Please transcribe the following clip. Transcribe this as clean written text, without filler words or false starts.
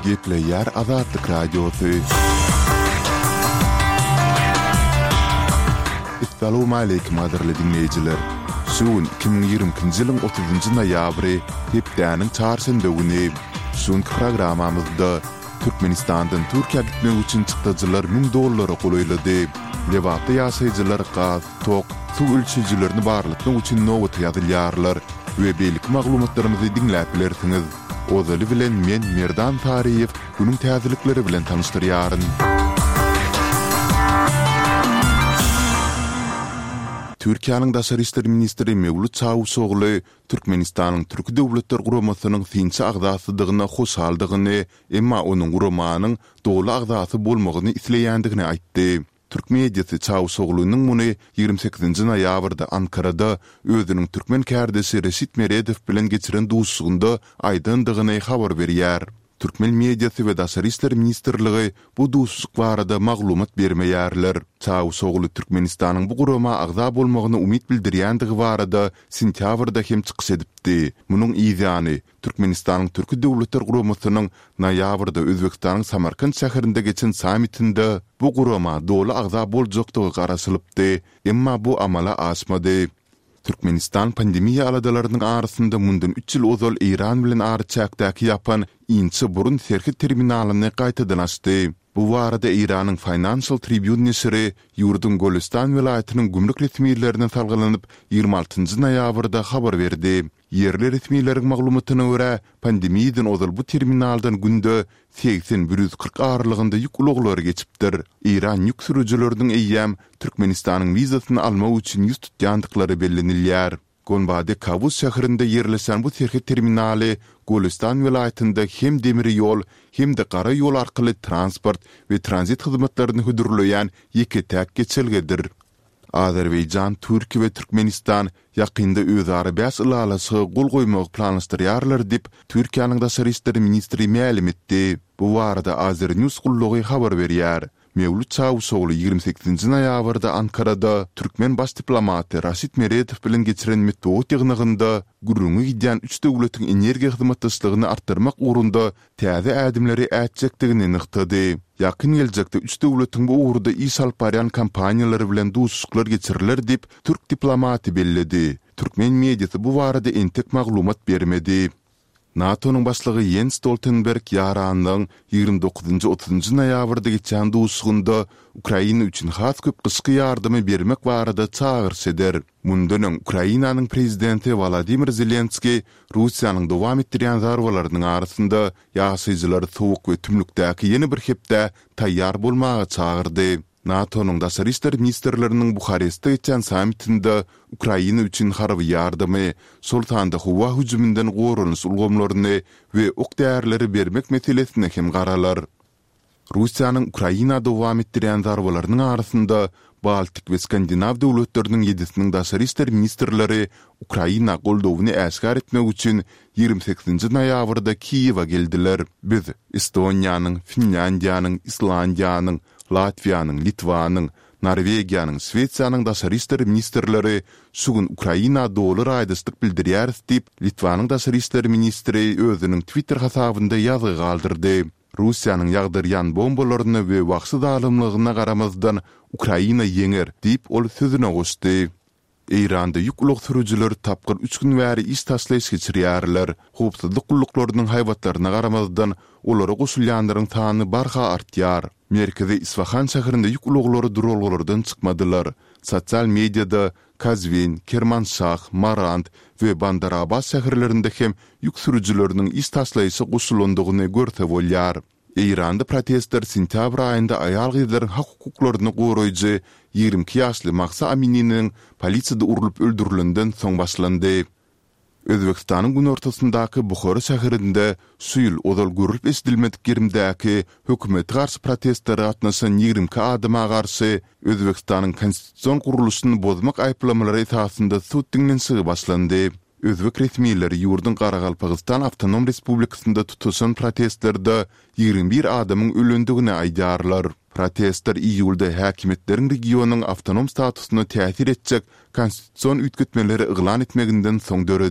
Gepleýär Azatlyk Radiosy. Essalawmaleýkim gadyrly diňleýjiler! Şu gün 2022-nji ýylyň otuzynjy noýabry, hepdäniň çarşenbe güni. Şu günki programmamyzda Türkmenistandan Türkiýä gitmek üçin çykdajylar müň dollara golaýlady. Lebapda ýaşaýjylar gaz, tok, suw ölçeýjilerini barlatmak üçin nobata ýazylýarlar we beýleki maglumatlarymyzy diňläp bilersiňiz. Ozaly bilen men Merdan Saryýew günüň täzelikleri bilen tanyşdyrýaryn. Türkiýäniň daşary işler ministri Mewlüt Çawuşogly Türkmenistanyň Türki Döwletler Guramasynyň synçy agzasydygyna hoşaldygyny, emma onuň guramanyň doly agzasy bolmagyny isleýändigini aýtdy. Türk mediasy Çawuşoglunyň muny 28-nji noýabrda Ankarada özüniň türkmen kärdeşi Reşit Meredow bilen geçiren duşuşygynda aýdandygyny habar berýär. Türkmen mediasy we Daşary işler ministrligi bu duşuşyk barada maglumat bermeýärler. Çawuşogly Türkmenistanyň bu gurama agza bolmagyna umyt bildirýändigi barada sentýabrda hem çykyş edipdi. Munuň yzýany, Türkmenistanyň Türki Döwletler Guramasynyň noýabrda Özbegistanyň Samarkant şäherinde geçen sammitinde bu gurama doly agza boljakdygy garaşylypdy, emma bu amala aşmady. Türkmenistan pandemiýa aladalarynyň arasynda mundan üç ýyl ozal Eýran bilen araçäkdäki ýapan Inçe burun serhet terminalyny gaýtadan açdy. Bu barada Eýranyň Financial Tribune neşiri ýurduň Golestan welaýatynyň gümrük resmilerine salgylanyp, 26 noýabrda habar berdi. Ýerli resmileriň maglumatyna görä, pandemiýadan ozal bu terminaldan günde 80, 140 aralygynda ýük ulaglary geçipdir. Eýran ýük sürüjileriniň eýýäm Türkmenistanyň wizasyny almak üçin ýüz tutýandyklary bellenilýär. Gonbade Kawus şäherinde ýerleşen bu serhet terminaly Golestan welaýatynda hem demir ýol, hem-de gara ýol arkaly transport we tranzit hyzmatlaryny hödürleýän ýeke-täk geçelgedir. Azerbaýjan, Türkiýe we Türkmenistan ýakynda özara bäş ylalaşyga gol goýmagy planlaşdyrýarlar diýip, Türkiýäniň daşary işler ministri mälim etdi. Bu barada Azernews gullugy habar berýär. Mewlüt Çawuşogly 28-nji noýabrda Ankarada türkmen baş diplomaty Raşid Meredow bilen geçiren metbugat ýygnagynda gürrüňi gidýän üç döwletiň energiýa hyzmatdaşlygyny artdyrmak ugrunda täze ädimleri ätjekdigini nygtady. Ýakyn geljekde üç döwletiň bu ugurda iş alyp barýan kompaniýalary bilen duşuşyklar geçiriler diýip, türk diplomaty belledi. Türkmen mediasy bu barada entek maglumat bermedi. NATO-nyň başlygy Ýens Stoltenberg ýaranlygyň 29-njy, otuzynjy noýabrda geçýän duşuşygynda Ukraina üçin has köp gyşky ýardamy bermek barada çagyryş eder. Mundan öň Ukrainanyň prezidenti Wolodymyr Zelenskiý Russiýanyň dowam etdirýän zarbalarynyň arasynda ýaşaýjylary sowuk we tümlükdäki ýene bir hepdä taýýar bolmaga çagyrdy. NATO-nyň daşary işler ministrleriniň Buharestde geçýän sammitinde Ukraina üçin harby ýardamy, şol sanda howa hüjüminden goranyş ulgamlaryny we ok-därileri bermek meselesine hem garalar. Russiýanyň Ukraina dowam etdirýän zarbalarynyň arasynda Baltik we Skandinaw döwletleriniň ýedisiniň daşary işler ministrleri Ukraina goldawyny äşgär etmek üçin 28-nji noýabrda Kiýewe geldiler. Biz Estoniýanyň, Finlýandiýanyň, Islandiýanyň, Latwiýanyň, Litwanyň, Norwegiýanyň, Şwesiýanyň daşary işler ministrleri şu gün Ukraina doly raýdaşlyk bildirýäris diýip, Litwanyň daşary işler ministri özüniň Twitter hasabynda ýazgy galdyrdy. Russiýanyň ýagdyrýan bombalaryna we wagşy zalymlygyna garamazdan, Ukraina ýeňer, diýip, ol sözüne goşdy. Eýranda ýük ulag sürüjileri tapgyr üç gün bäri iş taşlaýyş geçirýärler. Howpsuzlyk gulluklarynyň haýbatlaryna garamazdan, olara goşulýanlaryň sany barha artýar. Merkezi Isfahan şäherinde ýük ulaglary duralgalardan çykmadylar. Sosial mediada Kazwin, Kermanşah, Marand we Bandar-Abbas şäherlerinde hem ýük sürüjileriniň iş taşlaýşa goşulandygyny görse bolýar. Eýranda protestler sentýabr aýynda aýal-gyzlaryň hak-hukuklaryny goraýjy 22 ýaşly Mahsa Amininiň polisiýada urlup öldürilenden soň başlandy. Özbegistanyň günortasyndaky Buhara şäherinde şu ýyl ozal görlüp-eşidilmedik gerimdäki hökümete garşy protestlere gatnaşan 22 adama garşy Özbegistanyň konstitusion gurluşyny bozmak aýyplamalary esasynda sud diňlenişigi başlandy. Özbek resmileri ýurduň Garagalpagystan awtonom respublikasynda tutaşan protestlerde 21 adamyň ölendigini aýdýarlar. Protestler iýulda häkimiýetleriň regionyň awtonom statusyna täsir etjek konstitusion üýtgetmeleri yglan etmeginden soň döredi.